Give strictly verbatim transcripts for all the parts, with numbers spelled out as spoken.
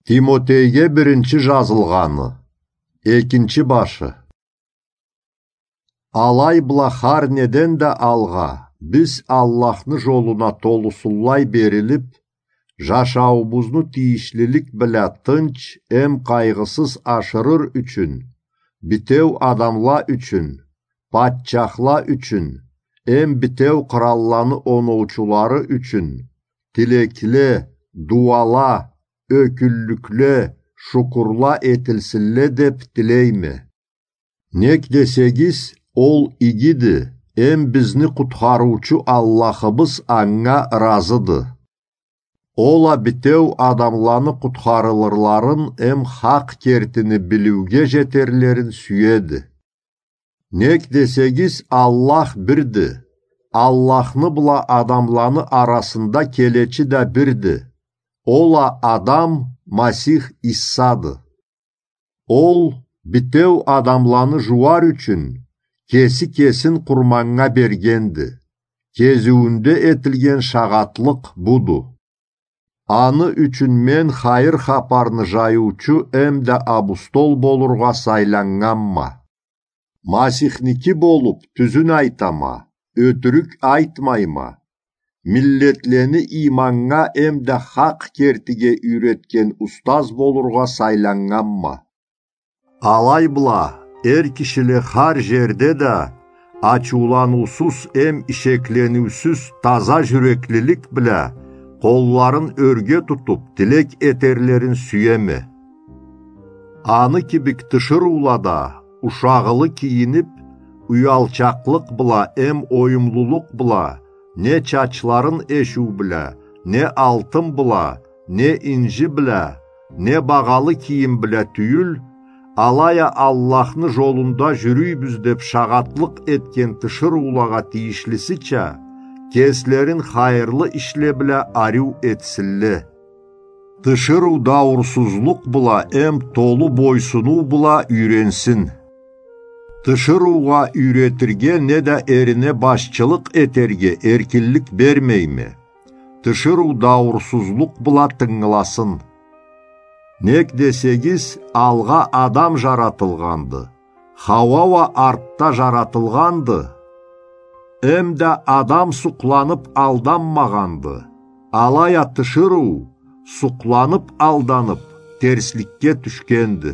Тимотейге биринчи жазылгъаны, экинчи башы. Алай бла хар неден да алгъа, биз Аллахны жолуна толусунлай берилип, жашауубузну тийишлилик бла тынч эм къайгъысыз ашырыр ючюн, битеу адамла ючюн, патчахла ючюн, эм битеу къыралланы оноучулары ючюн, тилекле, дууала, ёкюнлюкле, шукурла этилсинле деп тилейме. Нек десегиз, ол игиди, эм бизни къутхарыучу Аллахыбыз анга ыразыды. Ол а битеу адамланы къутхарылырларын эм хакъ кертини билиуге жетерлерин сюеди. Нек десегиз, Аллах бирди. Аллахны бла адамланы арасында келечи да бирди. Ол а адам Масих Иссады. Ол битеу адамланы жууар ючюн кеси кесин къурманнга бергенди. Кезиуюнде этилген шагъатлыкъ буду. Аны ючюн мен хайыр хапарны жайыучу эм да абустол болургъа сайланнганма. Масихники болуп, тюзюн айтама, ётюрюк айтмайма. Миллетлени иманнга эм да хакъ кертиге юйретген устаз болургъа сайланнганма. Алай бла, эр кишиле хар жерде да ачыуланыусуз эм ишеклениусюз таза жюреклилик бла къолларын ёрге тутуп, тилек этерлерин сюеме. Аны кибик тиширыула да ушагъылы кийинип, уялчакълыкъ бла эм оюмлулукъ бла, не чачларын эшиу бла, не алтын бла, не инжи бла, не багъалы кийим бла тюйюл, алай а Аллахны жолунда жюрюйбюз деп шагъатлыкъ этген тиширыулагъа тийишлисича, кеслерин хайырлы ишле бла ариу этсинле. Тиширыу дауурсузлукъ бла эм толу бойсунуу бла юйренсин. Тиширыугъа юйретирге неда эрине башчылыкъ этерге эркинлик бермейме. Тиширыу дауурсузлукъ бла тынгыласын. Нек десегиз, алгъа Адам жаратылгъанды, Хауа уа артда жаратылгъанды. Эм да Адам сукъланып алданмагъанды, алай а тиширыу сукъланып алданып, терсликге тюшгенди.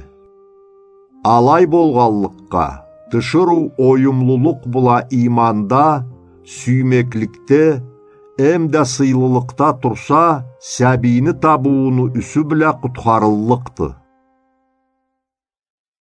Алай болгъанлыкъгъа, тиширыу оюмлулукъ бла иманда, сюймекликде, эм да сыйлылыкъда турса, сабийни табыууну юсю бла къутхарыллыкъды.